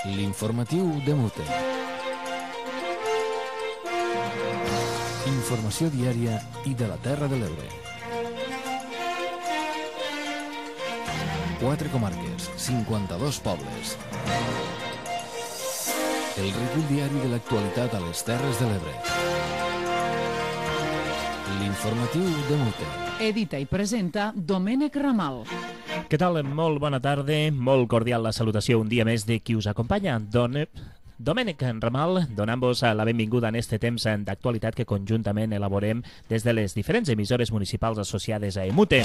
L'informatiu de Mute. Informació diària i de la Terra de l'Ebre. 4 comarques, 52 pobles. El recull diari de l'actualitat a les Terres de l'Ebre. L'informatiu de Mute. Edita i presenta Domènec Ramal. Què tal? Molt bona tarda, molt cordial la salutació un dia més de qui us acompanya. Domènec Ramal, donant-vos la benvinguda en este temps d'actualitat que conjuntament elaborem des de les diferents emissores municipals associades a EMUTE.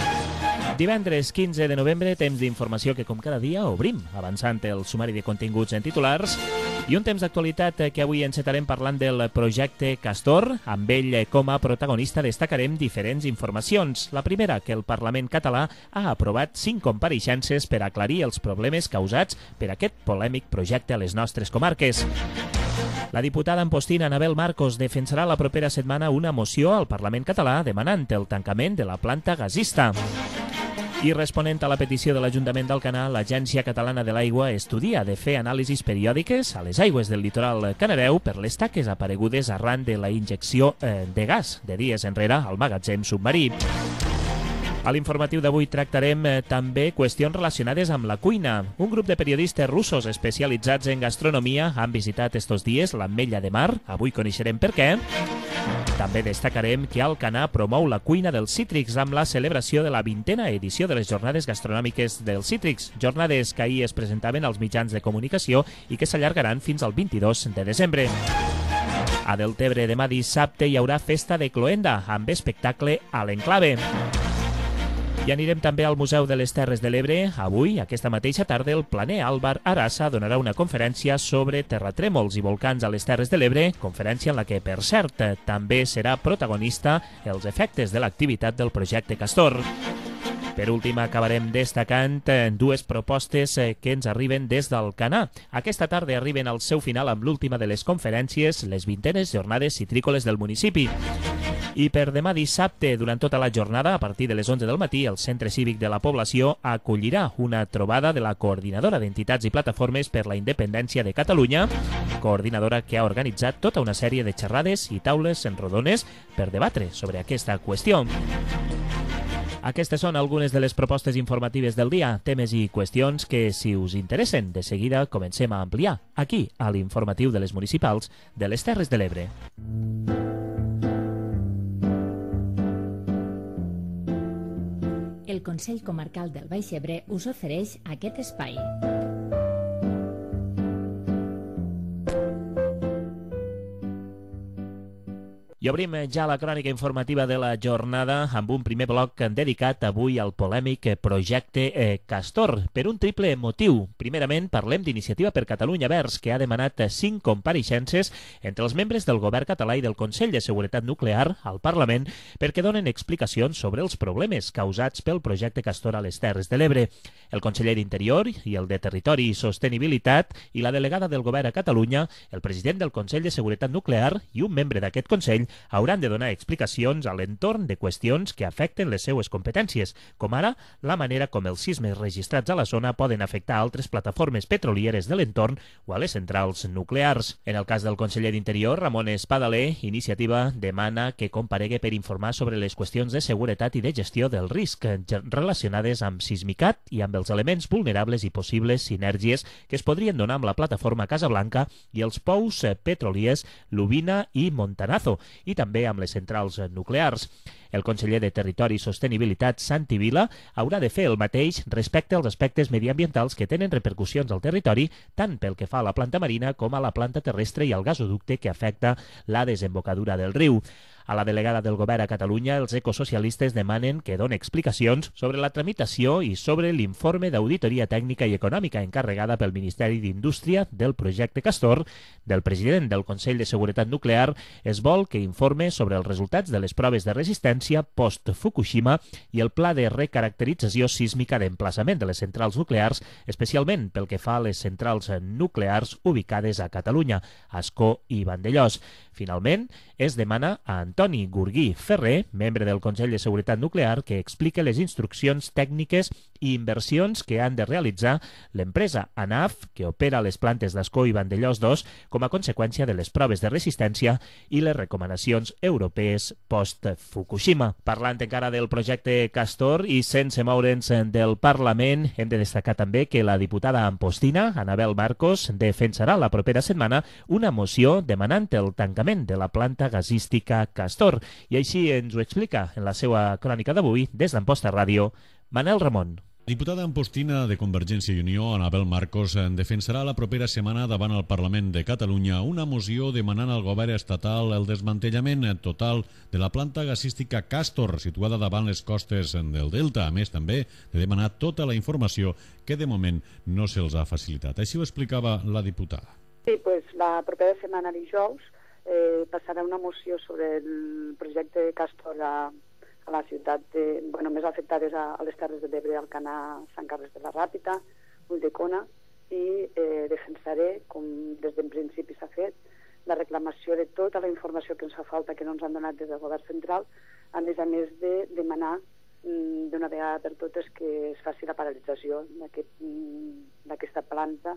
Divendres 15 de novembre, temps d'informació que com cada dia obrim, avançant el sumari de continguts en titulars, i un temps d'actualitat que avui encetarem parlant del projecte Castor. Amb ell com a protagonista destacarem diferents informacions. La primera, que el Parlament català ha aprovat 5 compareixences per aclarir els problemes causats per aquest polèmic projecte a les nostres comarques. La diputada ampostina Anabel Marcos defensarà la propera setmana una moció al Parlament català demanant el tancament de la planta gasista. I responent a la petició de l'Ajuntament d'Alcanar, l'Agència Catalana de l'Aigua estudia de fer anàlisis periòdiques a les aigües del litoral canareu per les taques aparegudes arran de la injecció de gas de dies enrere al magatzem submarí. A l'informatiu d'avui tractarem també qüestions relacionades amb la cuina. Un grup de periodistes russos especialitzats en gastronomia han visitat estos dies l'Ametlla de Mar. Avui coneixerem per què. També destacarem que Alcanar promou la cuina dels cítrics amb la celebració de la 20a edició de les Jornades Gastronòmiques dels Cítrics, jornades que ahir es presentaven als mitjans de comunicació i que s'allargaran fins al 22 de desembre. A Deltebre demà dissabte hi haurà festa de cloenda amb espectacle a l'Enclave. I anirem també al Museu de les Terres de l'Ebre. Avui, aquesta mateixa tarda, el planer Álvar Arasa donarà una conferència sobre terratrèmols i volcans a les Terres de l'Ebre, conferència en la que, per cert, també serà protagonista els efectes de l'activitat del projecte Castor. Per últim, acabarem destacant dues propostes que ens arriben des d'Alcanar. Aquesta tarda arriben al seu final amb l'última de les conferències, les 20enes jornades citrícoles del municipi. I per demà dissabte, durant tota la jornada, a partir de les 11 del matí, el Centre Cívic de la Població acollirà una trobada de la Coordinadora d'Entitats i Plataformes per la Independència de Catalunya, coordinadora que ha organitzat tota una sèrie de xerrades i taules rodones per debatre sobre aquesta qüestió. Aquestes són algunes de les propostes informatives del dia, temes i qüestions que, si us interessen, de seguida comencem a ampliar, aquí, a l'informatiu de les municipals de les Terres de l'Ebre. El Consell Comarcal del Baix Ebre us ofereix aquest espai. I obrim ja la crònica informativa de la jornada amb un primer bloc dedicat avui al polèmic projecte Castor, per un triple motiu. Primerament, parlem d'Iniciativa per Catalunya Verds, que ha demanat 5 compareixences entre els membres del Govern català i del Consell de Seguretat Nuclear al Parlament perquè donen explicacions sobre els problemes causats pel projecte Castor a les Terres de l'Ebre. El conseller d'Interior i el de Territori i Sostenibilitat i la delegada del Govern a Catalunya, el president del Consell de Seguretat Nuclear i un membre d'aquest Consell hauran de donar explicacions a l'entorn de qüestions que afecten les seues competències, com ara la manera com els sismes registrats a la zona poden afectar altres plataformes petrolieres de l'entorn o a les centrals nuclears. En el cas del conseller d'Interior, Ramon Espadaler, Iniciativa demana que comparegui per informar sobre les qüestions de seguretat i de gestió del risc relacionades amb Sismicat i amb els elements vulnerables i possibles sinergies que es podrien donar amb la plataforma Casablanca i els pous petroliers Lubina i Montanazo, i també amb les centrals nuclears. El conseller de Territori i Sostenibilitat, Santi Vila, haurà de fer el mateix respecte als aspectes mediambientals que tenen repercussions al territori, tant pel que fa a la planta marina com a la planta terrestre i al gasoducte que afecta la desembocadura del riu. A la delegada del Govern a Catalunya, els ecosocialistes demanen que doni explicacions sobre la tramitació i sobre l'informe d'auditoria tècnica i econòmica encarregada pel Ministeri d'Indústria del projecte Castor. Del president del Consell de Seguretat Nuclear es vol que informe sobre els resultats de les proves de resistència resiliència post-Fukushima i el pla de recaracterització sísmica d'emplaçament de les centrals nuclears, especialment pel que fa a les centrals nuclears ubicades a Catalunya, Ascó i Vandellòs. Finalment, es demana a Antoni Gurguí Ferrer, membre del Consell de Seguretat Nuclear, que explique les instruccions tècniques i inversions que han de realitzar l'empresa ANAF, que opera les plantes d'Ascó i Vandellòs 2, com a conseqüència de les proves de resistència i les recomanacions europees post-Fukushima. Parlant encara del projecte Castor i sense moure'ns del Parlament, hem de destacar també que la diputada ampostina, Anabel Marcos, defensarà la propera setmana una moció demanant el tancament de la planta gasística Castor. I així ens ho explica en la seva crònica d'avui, des d'Amposta Ràdio, Manel Ramon. Diputada ampostina de Convergència i Unió, Anabel Marcos, defensarà la propera setmana davant el Parlament de Catalunya una moció demanant al govern estatal el desmantellament total de la planta gasística Castor, situada davant les costes del Delta. A més, també de demanar tota la informació que de moment no se'ls ha facilitat. Així ho explicava la diputada. Sí, pues la propera setmana dijous passarà una moció sobre el projecte Castor a la ciutat més afectades a les Terres de l'Ebre, Alcanar, Sant Carles de la Ràpita, Ulldecona, i defensaré, com des d'un principi s'ha fet, la reclamació de tota la informació que ens fa falta, que no ens han donat des del govern central, a més de demanar d'una vegada per totes que es faci la paralització d'aquesta planta,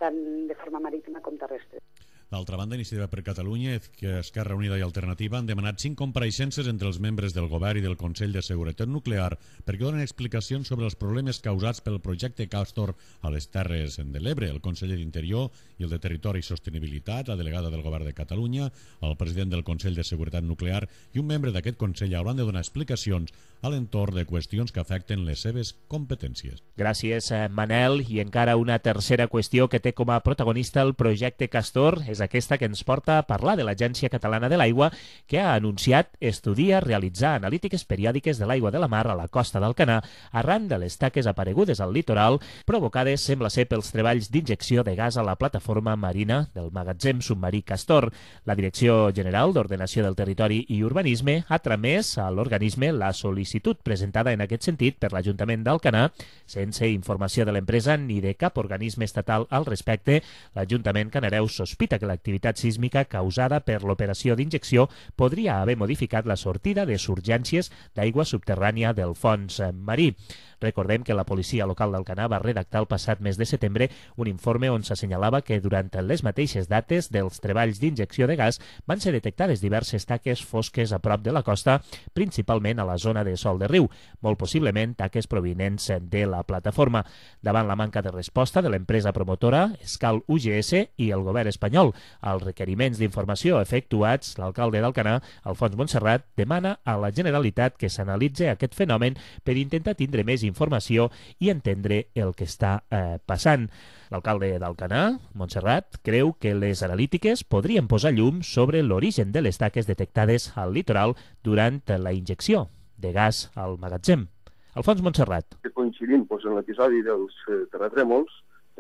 tant de forma marítima com terrestre. D'altra banda, Iniciativa per Catalunya, Esquerra Unida i Alternativa han demanat 5 compareixences entre els membres del Govern i del Consell de Seguretat Nuclear perquè donen explicacions sobre els problemes causats pel projecte Castor a les Terres de l'Ebre. El conseller d'Interior i el de Territori i Sostenibilitat, la delegada del Govern de Catalunya, el president del Consell de Seguretat Nuclear i un membre d'aquest Consell hauran de donar explicacions a l'entorn de qüestions que afecten les seves competències. Gràcies, Manel. I encara una tercera qüestió que té com a protagonista el projecte Castor és aquesta que ens porta a parlar de l'Agència Catalana de l'Aigua, que ha anunciat estudiar realitzar analítiques periòdiques de l'aigua de la mar a la costa d'Alcanar arran de les taques aparegudes al litoral provocades, sembla ser, pels treballs d'injecció de gas a la plataforma marina del magatzem submarí Castor. La Direcció General d'Ordenació del Territori i Urbanisme ha tramès a l'organisme la sol·licitud presentada en aquest sentit per l'Ajuntament d'Alcanar. Sense informació de l'empresa ni de cap organisme estatal al respecte, l'Ajuntament canareu sospita que l'activitat sísmica causada per l'operació d'injecció podria haver modificat la sortida de surgències d'aigua subterrània del fons marí. Recordem que la policia local d'Alcanar va redactar el passat mes de setembre un informe on s'assenyalava que durant les mateixes dates dels treballs d'injecció de gas van ser detectades diverses taques fosques a prop de la costa, principalment a la zona de Sol de Riu, molt possiblement taques provinents de la plataforma. Davant la manca de resposta de l'empresa promotora, Escal UGS i el govern espanyol als requeriments d'informació efectuats, l'alcalde d'Alcanar, Alfons Montserrat, demana a la Generalitat que s'analitzi aquest fenomen per intentar tindre més informació i entendre el que està passant. L'alcalde d'Alcanar, Montserrat, creu que les analítiques podrien posar llum sobre l'origen de les taques detectades al litoral durant la injecció de gas al magatzem. Alfons Montserrat. Coincidint en l'episodi dels terratrèmols,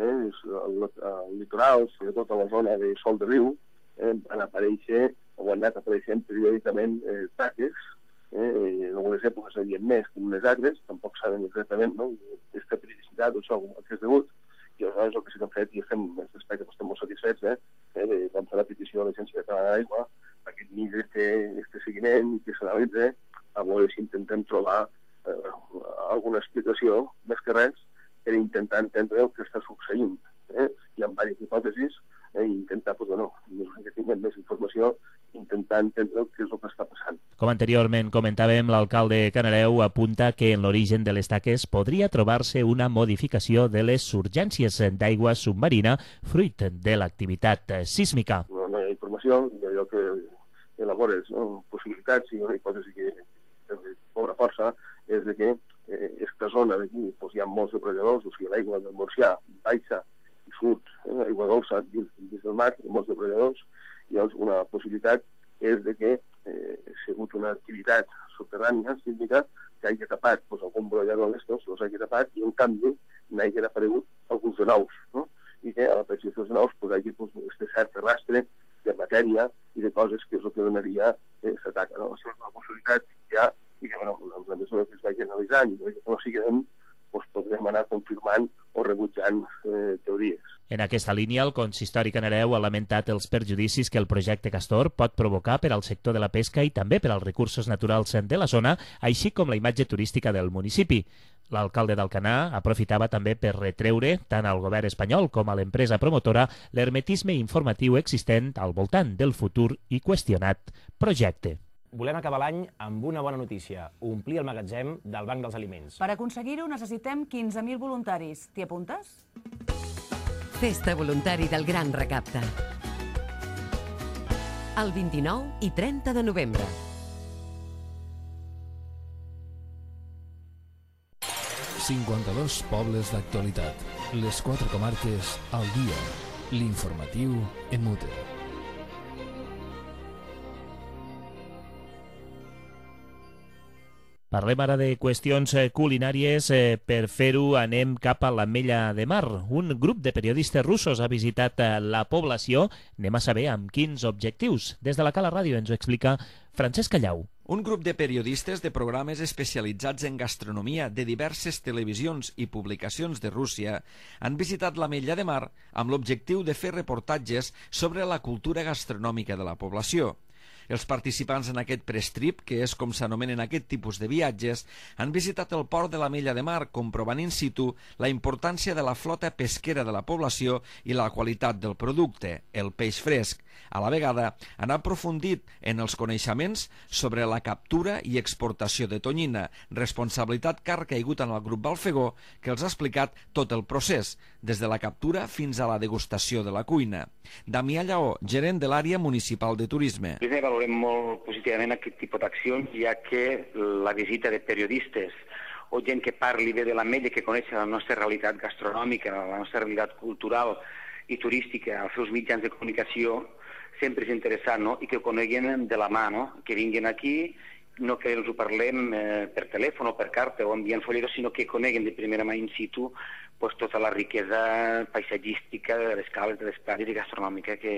al litoral, sobretot a la zona de Sol de Riu, van aparèixer o han anat apareixent periòdicament taques. En algunes èpoques hi havia més que unes altres, tampoc saben exactament aquesta periodicitat o això a què és degut, i aleshores el que sí que hem fet, i estem molt satisfets, vam fer la petició a l'Agència Catalana de l'Aigua perquè tingués aquest seguiment i que s'analitzi, a veure si intentem trobar alguna explicació, més que res, per intentar entendre el que està succeint. Hi ha diverses hipòtesis i intentar, que tinguem més informació, intentar entendre què és el que està passant. Com anteriorment comentàvem, l'alcalde Canareu apunta que en l'origen de les taques podria trobar-se una modificació de les surgències d'aigua submarina fruit de l'activitat sísmica. No hi ha informació, allò que elabores possibilitats i una hipòtesi que cobra força és que aquesta zona d'aquí hi ha molts depredadors, o sigui, l'aigua del Montsià baixa i surt, aigua dolça dins del mar, molts depredadors, i llavors una possibilitat és que ha sigut una activitat subterrània sísmica que hagi tapat algun brollador d'estos, els hagi tapat i en canvi n'hagi aparegut alguns de nous, i que a l'aparèixer dels nous hagi aquest cert rastre de matèria i de coses que és el que donaria l'atac. Això és una possibilitat que hi ha 6 anys, no siguem, podrem anar confirmant o rebutjant teories. En aquesta línia, el consistori canareu ha lamentat els perjudicis que el projecte Castor pot provocar per al sector de la pesca i també per als recursos naturals de la zona, així com la imatge turística del municipi. L'alcalde d'Alcanar aprofitava també per retreure tant al govern espanyol com a l'empresa promotora l'hermetisme informatiu existent al voltant del futur i qüestionat projecte. Volem acabar l'any amb una bona notícia, omplir el magatzem del Banc dels Aliments. Per aconseguir-ho necessitem 15.000 voluntaris. T'hi apuntes? Festa voluntari del Gran Recapte. El 29 i 30 de novembre. ...52 pobles d'actualitat. Les 4 comarques al dia. L'informatiu en mute. Parlem ara de qüestions culinàries. Per fer-ho anem cap a l'Ametlla de Mar. Un grup de periodistes russos ha visitat la població. Anem a saber amb quins objectius. Des de la Cala Ràdio ens ho explica Francesc Callau. Un grup de periodistes de programes especialitzats en gastronomia de diverses televisions i publicacions de Rússia han visitat l'Ametlla de Mar amb l'objectiu de fer reportatges sobre la cultura gastronòmica de la població. Els participants en aquest press-trip, que és com s'anomenen aquest tipus de viatges, han visitat el port de l'Ametlla de Mar, comprovant in situ la importància de la flota pesquera de la població i la qualitat del producte, el peix fresc. A la vegada, han aprofundit en els coneixements sobre la captura i exportació de tonyina, responsabilitat que ha recaigut en el grup Balfegó, que els ha explicat tot el procés, des de la captura fins a la degustació de la cuina. Damià Lleó, gerent de l'àrea municipal de turisme. Valorem molt positivament aquest tipus d'accions, ja que la visita de periodistes o gent que parli bé de l'Ametlla, que coneix la nostra realitat gastronòmica, la nostra realitat cultural i turística als seus mitjans de comunicació, sempre és interessant, no? I que ho coneguen de la mà, no? Que vinguin aquí, no que els ho parlem per telèfon o per carta o enviant folletos, sinó que coneguen de primera mà in situ tota la riquesa paisatgística de les cales, de les platges i gastronòmica que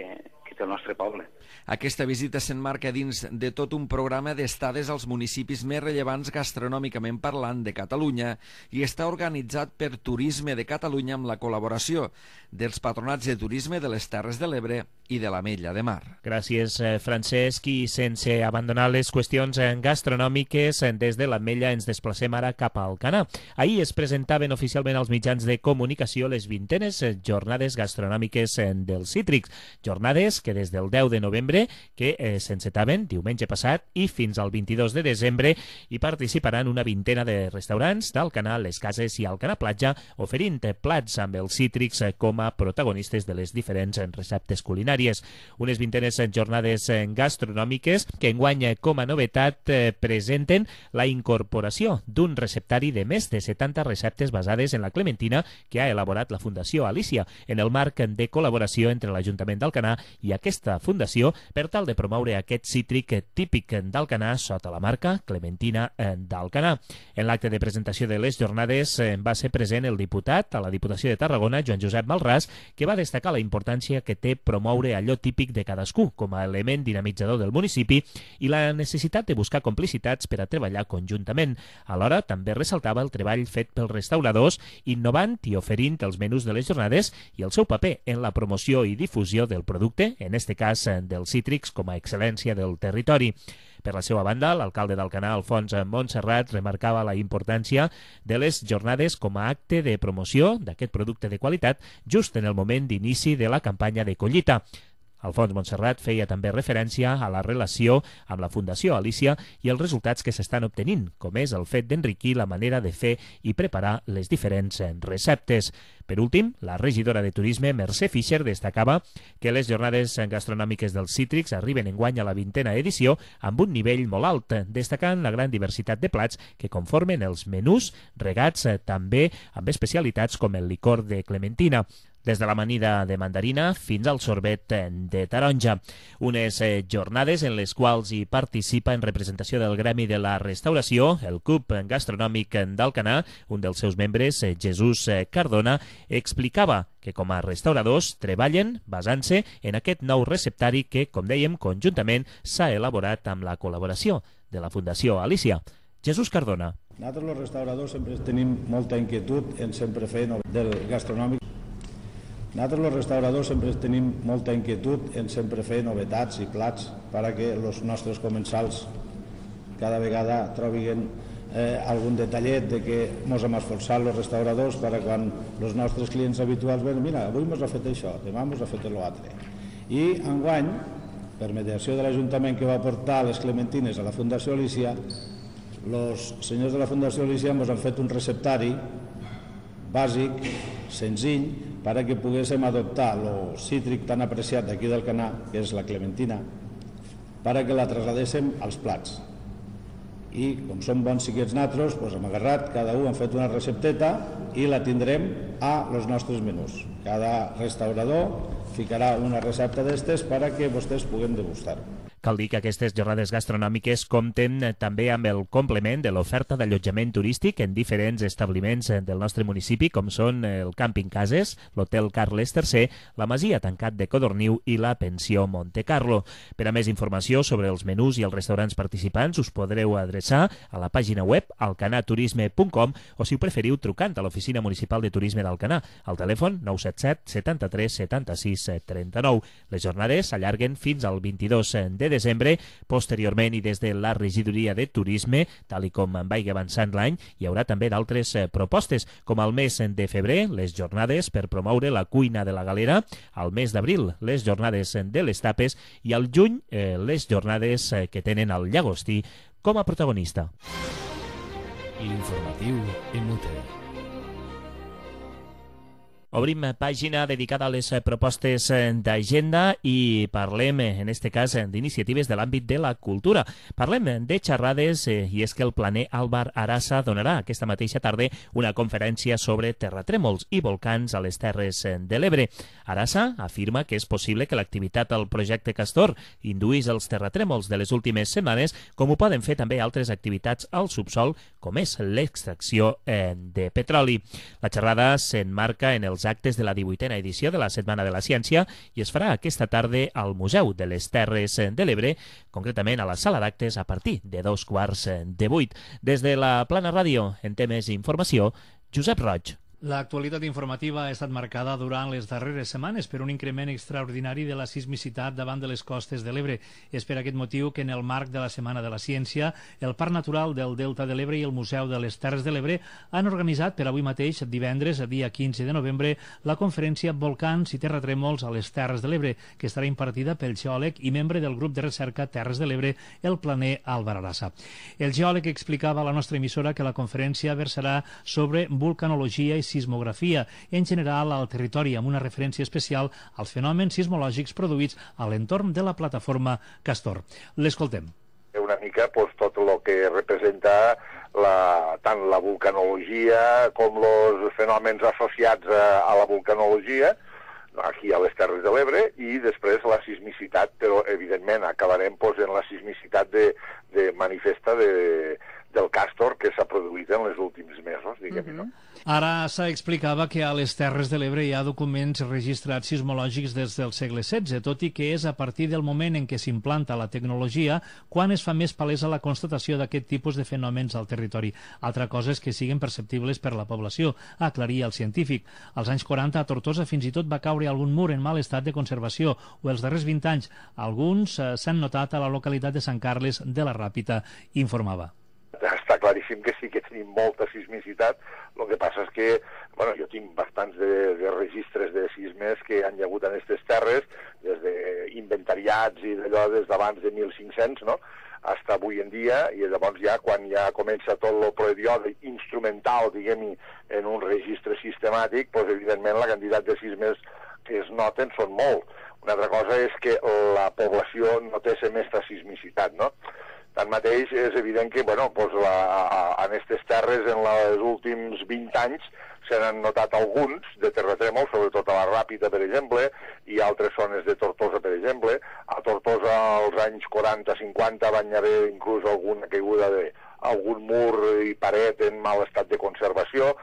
té el nostre poble. Aquesta visita s'emmarca dins de tot un programa d'estades als municipis més rellevants gastronòmicament parlant de Catalunya i està organitzat per Turisme de Catalunya amb la col·laboració dels patronats de turisme de les Terres de l'Ebre i de l'Ametlla de Mar. Gràcies, Francesc. I sense abandonar les qüestions gastronòmiques, des de l'Ametlla ens desplacem ara cap a Alcanar. Ahir es presentaven oficialment als mitjans de comunicació les 20enes jornades gastronòmiques dels Cítrics. Jornades que des del 10 de novembre que s'encetaven diumenge passat i fins al 22 de desembre hi participaran una vintena de restaurants d'Alcanar, les Cases i Alcanar Platja, oferint plats amb els Cítrics com a protagonistes de les diferents receptes culinàries. Unes vintenes jornades gastronòmiques que enguany com a novetat presenten la incorporació d'un receptari de més de 70 receptes basades en la clementina que ha elaborat la Fundació Alícia en el marc de col·laboració entre l'Ajuntament d'Alcanar i aquesta fundació per tal de promoure aquest cítric típic d'Alcanar sota la marca Clementina d'Alcanar. En l'acte de presentació de les jornades va ser present el diputat a la Diputació de Tarragona, Joan Josep Malràs, que va destacar la importància que té promoure allò típic de cadascú com a element dinamitzador del municipi i la necessitat de buscar complicitats per a treballar conjuntament. Alhora, també ressaltava el treball fet pels restauradors, innovant i oferint els menús de les jornades i el seu paper en la promoció i difusió del producte, en este cas dels cítrics com a excel·lència del territori. Per la seva banda, l'alcalde d'Alcanar, Alfons Montserrat, remarcava la importància de les jornades com a acte de promoció d'aquest producte de qualitat just en el moment d'inici de la campanya de collita. Alfons Montserrat feia també referència a la relació amb la Fundació Alícia i els resultats que s'estan obtenint, com és el fet d'enriquir la manera de fer i preparar les diferents receptes. Per últim, la regidora de Turisme, Mercè Fischer, destacava que les jornades gastronòmiques dels Cítrics arriben enguany a la 20a edició amb un nivell molt alt, destacant la gran diversitat de plats que conformen els menús, regats també amb especialitats com el licor de clementina, des de l'amanida de mandarina fins al sorbet de taronja. Unes jornades en les quals hi participa en representació del Gremi de la Restauració, el CUP Gastronòmic d'Alcanar. Un dels seus membres, Jesús Cardona, explicava que com a restauradors treballen basant-se en aquest nou receptari que, com dèiem, conjuntament s'ha elaborat amb la col·laboració de la Fundació Alícia. Jesús Cardona. Nosaltres, els restauradors, sempre tenim molta inquietud en sempre fer del gastronòmic. Nosaltres, els restauradors, sempre tenim molta inquietud en sempre fer novetats i plats perquè els nostres comensals cada vegada trobin algun detallet de que ens hem esforçat els restauradors per quan els nostres clients habituals veuen, mira, avui ens ha fet això, demà ens ha fet l'altre. I enguany, per mediació de l'Ajuntament que va portar les clementines a la Fundació Alícia, els senyors de la Fundació Alícia ens han fet un receptari bàsic, senzill, perquè poguéssim adoptar el cítric tan apreciat d'aquí del Canà, que és la clementina, perquè la trasladéssim als plats. I com som bons xiquets natros, hem agarrat, cada un hem fet una recepteta i la tindrem als nostres menús. Cada restaurador ficarà una recepta d'estes perquè vostès puguen degustar-ho. Cal dir que aquestes jornades gastronòmiques compten també amb el complement de l'oferta d'allotjament turístic en diferents establiments del nostre municipi, com són el Càmping Cases, l'Hotel Carles III, la Masia Tancat de Codorniu i la Pensió Monte Carlo. Per a més informació sobre els menús i els restaurants participants us podreu adreçar a la pàgina web alcanaturisme.com o, si ho preferiu, trucant a l'Oficina Municipal de Turisme d'Alcanar, al telèfon 977 73 76 39. Les jornades s'allarguen fins al 22 de desembre. Posteriorment, i des de la regidoria de turisme, tal i com vagi avançant l'any, hi haurà també d'altres propostes, com al mes de febrer, les jornades per promoure la cuina de la galera, al mes d'abril, les jornades de les tapes, i al juny, les jornades que tenen el llagostí com a protagonista. L'informatiu en UTE. Obrim pàgina dedicada a les propostes d'agenda i parlem, en este cas, d'iniciatives de l'àmbit de la cultura. Parlem de xerrades i és que el planer Álvar Arasa donarà aquesta mateixa tarda una conferència sobre terratrèmols i volcans a les Terres de l'Ebre. Arasa afirma que és possible que l'activitat al projecte Castor induís els terratrèmols de les últimes setmanes, com ho poden fer també altres activitats al subsol, com és l'extracció de petroli. La xerrada s'emmarca en els actes de la 18a edició de la Setmana de la Ciència i es farà aquesta tarda al Museu de les Terres de l'Ebre, concretament a la sala d'actes a partir de 7:15. Des de la Plana Ràdio, en temes d'informació, Josep Roig. L'actualitat informativa ha estat marcada durant les darreres setmanes per un increment extraordinari de la sismicitat davant de les costes de l'Ebre. És per aquest motiu que en el marc de la Setmana de la Ciència, el Parc Natural del Delta de l'Ebre i el Museu de les Terres de l'Ebre han organitzat per avui mateix, divendres, dia 15 de novembre, la conferència Volcans i Terratrèmols a les Terres de l'Ebre, que estarà impartida pel geòleg i membre del grup de recerca Terres de l'Ebre, el planer Álvar Arasa. El geòleg explicava a la nostra emissora que la conferència versarà sobre vulcanologia i sismografia en general al territori, amb una referència especial als fenòmens sismològics produïts a l'entorn de la plataforma Castor. L'escoltem. Una mica tot el que representa tant la vulcanologia com els fenòmens associats a la vulcanologia aquí a les Terres de l'Ebre, i després la sismicitat, però evidentment acabarem en la sismicitat de manifesta del Castor que s'ha produït en els últims mesos, diguem-ne, no? Ara s'explicava que a les Terres de l'Ebre hi ha documents registrats sismològics des del segle XVI, tot i que és a partir del moment en què s'implanta la tecnologia quan es fa més palesa la constatació d'aquest tipus de fenòmens al territori. Altra cosa és que siguin perceptibles per la població, aclaria el científic. Als anys 40 a Tortosa fins i tot va caure algun mur en mal estat de conservació, o els darrers 20 anys alguns s'han notat a la localitat de Sant Carles de la Ràpita, informava. Està claríssim que sí que tenim molta sismicitat. El que passa és que jo tinc bastants de registres de sismes que han hi hagut en aquestes terres, des d'inventariats i d'allò des d'abans de 1500, no?, fins avui en dia, i llavors quan comença tot el període instrumental, diguem-hi, en un registre sistemàtic, evidentment la quantitat de sismes que es noten són molt. Una altra cosa és que la població no té aquesta sismicitat, no? Tanmateix, és evident que en aquestes terres en els últims 20 anys se n'han notat alguns de terratrèmols, sobretot a la Ràpita, per exemple, i altres zones de Tortosa, per exemple. A Tortosa, als anys 40-50, van haver inclús alguna caiguda d'algun mur i paret en mal estat de conservació.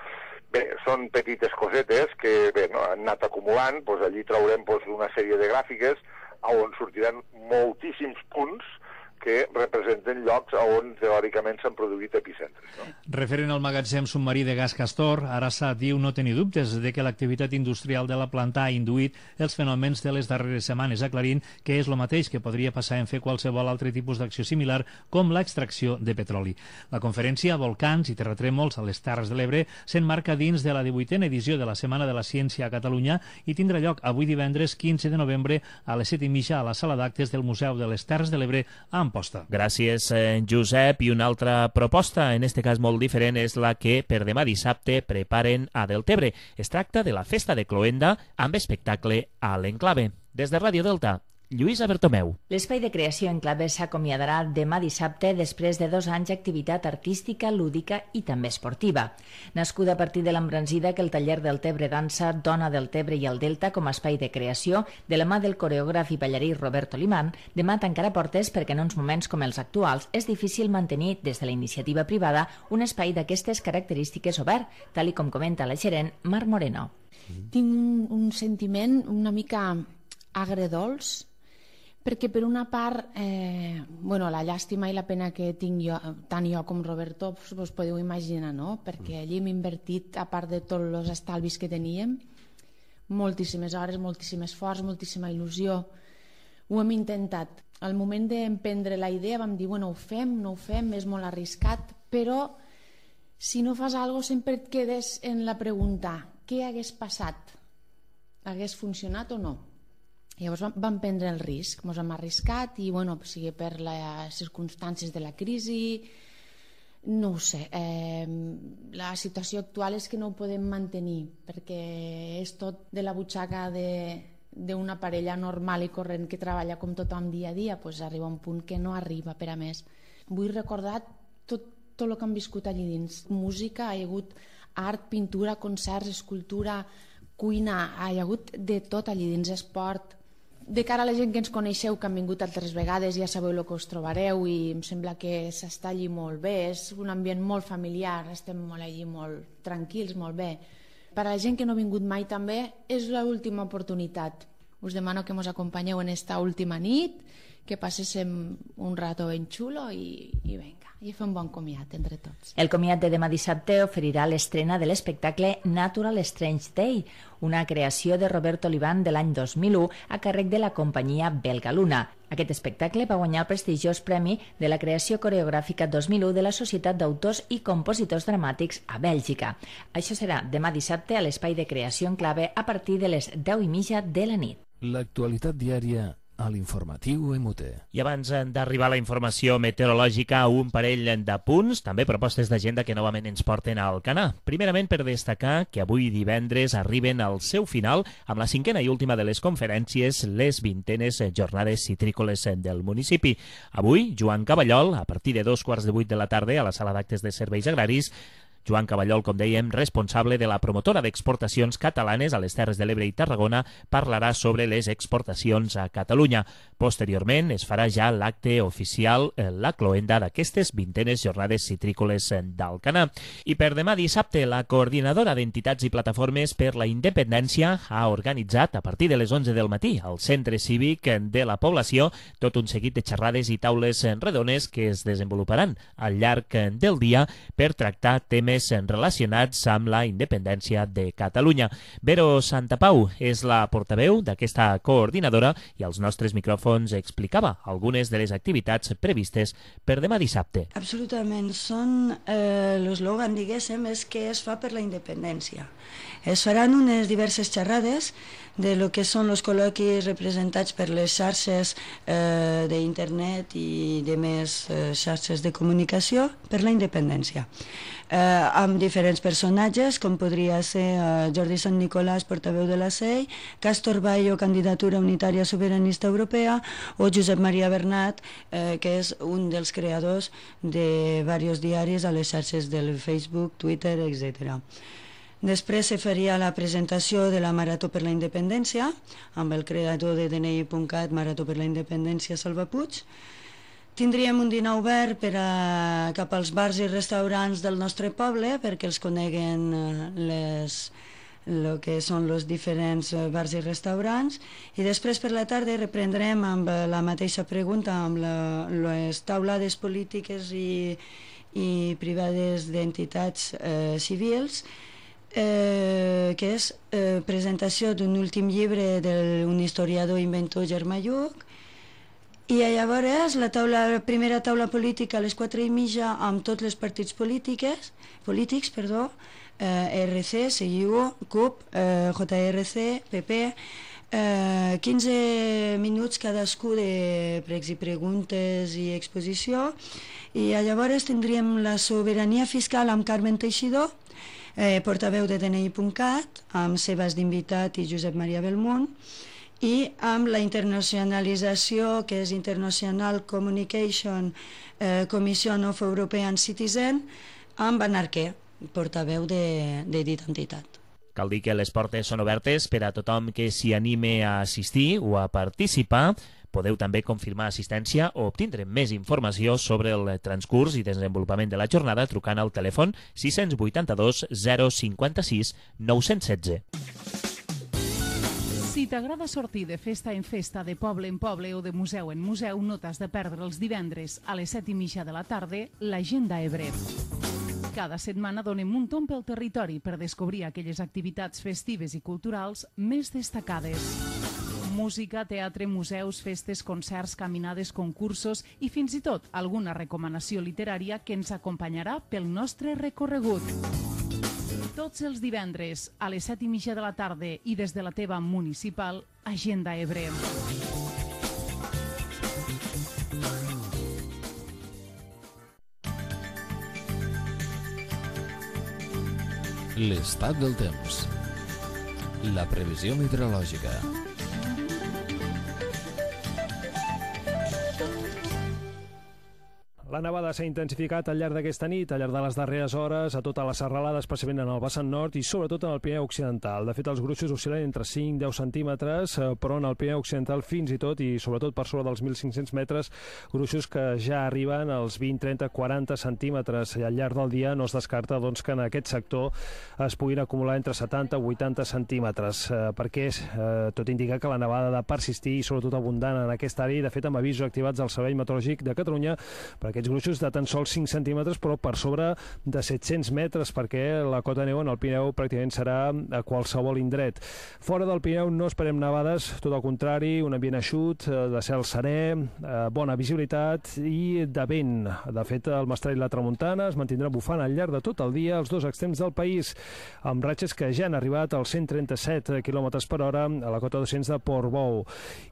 Bé, són petites cosetes que han anat acumulant. Allí traurem una sèrie de gràfiques on sortiran moltíssims punts que representen llocs on teòricament s'han produït epicentres. No? Referent al magatzem submarí de gas Castor, Arassa diu no tenir dubtes de que l'activitat industrial de la planta ha induït els fenòmens de les darreres setmanes, aclarint que és el mateix que podria passar en fer qualsevol altre tipus d'acció similar com l'extracció de petroli. La conferència Volcans i terratrèmols a les Terres de l'Ebre s'emmarca dins de la 18a edició de la Setmana de la Ciència a Catalunya i tindrà lloc avui divendres 15 de novembre a les 7:30 a la sala d'actes del Museu de les Terres de l'Ebre a Amposta. Gràcies, Josep. I una altra proposta, en este cas molt diferent, és la que per demà dissabte preparen a Deltebre. Es tracta de la Festa de Cloenda amb espectacle a l'Enclave. Des de Ràdio Delta, Lluïsa Bertomeu. L'Espai de Creació Enclave s'acomiadarà demà dissabte després de 2 anys d'activitat artística, lúdica i també esportiva. Nascuda a partir de l'embranzida que el taller Deltebre Dansa dona Deltebre i el Delta com a espai de creació de la mà del coreògraf i ballarí Roberto Limán, demà tancarà portes perquè en uns moments com els actuals és difícil mantenir des de la iniciativa privada un espai d'aquestes característiques obert, tal i com comenta la gerent Mar Moreno. Tinc un sentiment una mica agredolç, perquè per una part la llàstima i la pena que tinc jo, tant jo com Roberto, us podeu imaginar, no? Perquè allí hem invertit, a part de tots els estalvis que teníem, moltíssimes hores, moltíssim esforç, moltíssima il·lusió. Ho hem intentat. Al moment d'emprendre la idea vam dir, bueno, ho fem, no ho fem, és molt arriscat, però si no fas alguna cosa sempre et quedes en la pregunta, què hagués passat? Hagués funcionat o no? Llavors vam prendre el risc, ens hem arriscat i, sigui per les circumstàncies de la crisi, no ho sé. La situació actual és que no ho podem mantenir perquè és tot de la butxaca d'una parella normal i corrent que treballa com tothom dia a dia, doncs arriba un punt que no arriba per a més. Vull recordar tot el que han viscut allí dins. Música, hi ha hagut art, pintura, concerts, escultura, cuina, hi ha hagut de tot allí dins, esport. De cara a la gent que ens coneixeu, que han vingut altres vegades, ja sabeu el que us trobareu i em sembla que s'està allí molt bé, és un ambient molt familiar, estem molt allí molt tranquils, molt bé. Per a la gent que no ha vingut mai també és l'última oportunitat. Us demano que ens acompanyeu en esta última nit, que passéssim un rato ben xulo i vinga, i fer un bon comiat entre tots. El comiat de demà dissabte oferirà l'estrena de l'espectacle Natural Strange Day, una creació de Roberto Limán de l'any 2001 a càrrec de la companyia belga Luna. Aquest espectacle va guanyar el prestigiós premi de la creació coreogràfica 2001 de la Societat d'Autors i Compositors Dramàtics a Bèlgica. Això serà demà dissabte a l'Espai de Creació Enclave a partir de les 10:30 de la nit. L'actualitat diària a l'informatiu MUT. I abans d'arribar a la informació meteorològica, un parell d'apunts, també propostes d'agenda que novament ens porten al Canà. Primerament, per destacar que avui divendres arriben al seu final, amb la 5a i última de les conferències, les 20enes jornades citrícoles del municipi. Avui, Joan Caballol, a partir de 2:15 de la tarda, a la sala d'actes de serveis agraris, Joan Caballol, com dèiem, responsable de la promotora d'exportacions catalanes a les Terres de l'Ebre i Tarragona, parlarà sobre les exportacions a Catalunya. Posteriorment es farà ja l'acte oficial, la cloenda d'aquestes 20enes jornades citrícoles d'Alcanar. I per demà dissabte, la coordinadora d'entitats i plataformes per la independència ha organitzat a partir de les 11 del matí al Centre Cívic de la població tot un seguit de xerrades i taules redones que es desenvoluparan al llarg del dia per tractar temes relacionats amb la independència de Catalunya. Vero Santapau és la portaveu d'aquesta coordinadora i als nostres micròfons explicava algunes de les activitats previstes per demà dissabte. Absolutament. L'eslògan, diguéssim, és què es fa per la independència. Es faran unes diverses xerrades de lo que són els col·loquis representats per les xarxes d'internet i de més xarxes de comunicació per la independència. Amb diferents personatges, com podria ser Jordi Sant Nicolàs, portaveu de la CEI, Castor Bayo, candidatura unitària sobiranista europea, o Josep Maria Bernat, que és un dels creadors de diversos diaris a les xarxes del Facebook, Twitter, etc. Després se faria la presentació de la Marató per la Independència, amb el creador de DNI.cat, Marató per la Independència, Salva Puig. Tindríem un dinar obert cap als bars i restaurants del nostre poble perquè els coneguen el que són els diferents bars i restaurants, i després per la tarda reprendrem amb la mateixa pregunta, amb les taulades polítiques i privades d'entitats civils, que és presentació d'un últim llibre d'un historiador inventor Germà Lluc, i llavors la primera taula política a les 4:30 amb tots els partits polítics, RC, CIU, CUP, JRC, PP, 15 minuts cadascú de pregs i preguntes i exposició, i llavors tindríem la sobirania fiscal amb Carmen Teixidor, portaveu de DNI.cat, amb Sebas d'invitat i Josep Maria Belmunt, i amb la internacionalització, que és International Communication Commission of European Citizen, amb Anarquer, portaveu de dit entitat. Cal dir que les portes són obertes per a tothom que s'hi anime a assistir o a participar. Podeu també confirmar assistència o obtindre més informació sobre el transcurs i desenvolupament de la jornada trucant al telèfon 682 056 916. Si t'agrada sortir de festa en festa, de poble en poble o de museu en museu, no t'has de perdre els divendres a les 7:30 de la tarda l'Agenda Ebre. Cada setmana donem un tomb pel territori per descobrir aquelles activitats festives i culturals més destacades. Música, teatre, museus, festes, concerts, caminades, concursos i fins i tot alguna recomanació literària que ens acompanyarà pel nostre recorregut. Tots els divendres a les 7:30 de la tarda i des de la teva municipal, Agenda Ebre. L'estat del temps. La previsió meteorològica. La nevada s'ha intensificat al llarg d'aquesta nit, al llarg de les darreres hores, a tota la serralada, especialment en el vessant nord i sobretot en el Pirineu Occidental. De fet, els gruixos oscil·len entre 5 i 10 centímetres, però en el Pirineu Occidental fins i tot, i sobretot per sobre dels 1.500 metres, gruixos que ja arriben als 20, 30, 40 centímetres. I al llarg del dia no es descarta doncs, que en aquest sector es puguin acumular entre 70 i 80 centímetres, perquè tot indica que la nevada ha de persistir i sobretot abundant en aquesta àrea, i de fet amb avisos activats al Servei Meteorològic de Catalunya per aquests gruixos de tan sols 5 centímetres, però per sobre de 700 metres, perquè la cota de neu en el Pirineu pràcticament serà a qualsevol indret. Fora del Pirineu no esperem nevades, tot el contrari, un ambient eixut, de cel serè, bona visibilitat i de vent. De fet, el mestral i la tramuntana es mantindran bufant al llarg de tot el dia als dos extrems del país, amb ratxes que ja han arribat als 137 km per hora a la cota 200 de Portbou,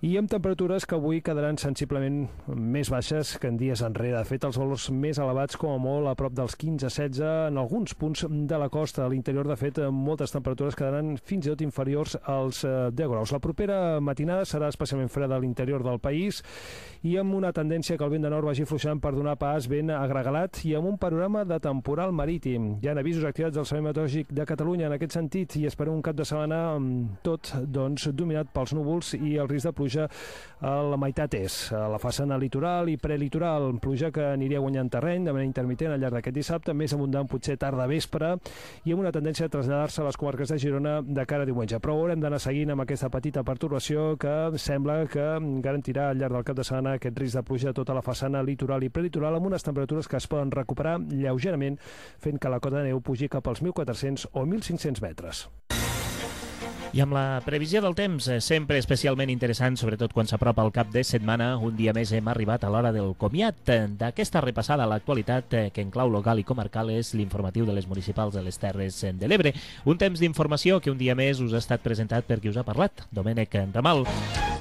i amb temperatures que avui quedaran sensiblement més baixes que en dies enrere. De fet, els valors més elevats, com a molt, a prop dels 15-16 en alguns punts de la costa. A l'interior, de fet, moltes temperatures quedaran fins i tot inferiors als 10 graus. La propera matinada serà especialment freda a l'interior del país i amb una tendència que el vent de nord vagi fluixant per donar pas vent agregalat i amb un panorama de temporal marítim. Hi ha avisos activats del Servei Meteorològic de Catalunya en aquest sentit i esperem un cap de setmana tot dominat pels núvols i el risc de pluja a la meitat est, a la façana litoral i prelitoral. Pluja que aniria guanyant terreny de manera intermitent al llarg d'aquest dissabte, més abundant potser tarda vespre i amb una tendència a traslladar-se a les comarques de Girona de cara a diumenge. Però haurem d'anar seguint amb aquesta petita pertorbació que sembla que garantirà al llarg del cap de setmana aquest risc de pluja a tota la façana litoral i prelitoral, amb unes temperatures que es poden recuperar lleugerament, fent que la cota de neu pugi cap als 1.400 o 1.500 metres. I amb la previsió del temps, sempre especialment interessant, sobretot quan s'apropa el cap de setmana, un dia més hem arribat a l'hora del comiat. D'aquesta repassada a l'actualitat, que en clau local i comarcal és l'informatiu de les municipals de les Terres de l'Ebre. Un temps d'informació que un dia més us ha estat presentat per qui us ha parlat, Domènec Ramal.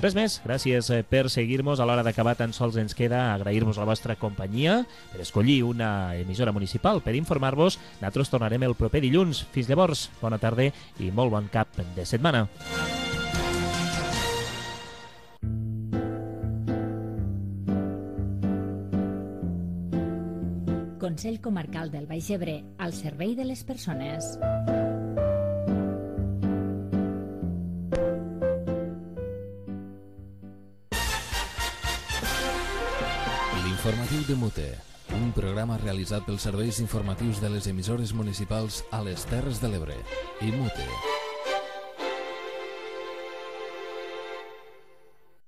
Res més, gràcies per seguir-nos. A l'hora d'acabar tan sols ens queda agrair-vos la vostra companyia per escollir una emissora municipal per informar-vos. Nosaltres tornarem el proper dilluns. Fins llavors, bona tarda i molt bon cap de setmana. Consell Comarcal del Baix Ebre, al servei de les persones. L'informatiu de Mute, un programa realitzat pels serveis informatius de les emissores municipals a les Terres de l'Ebre i Mute.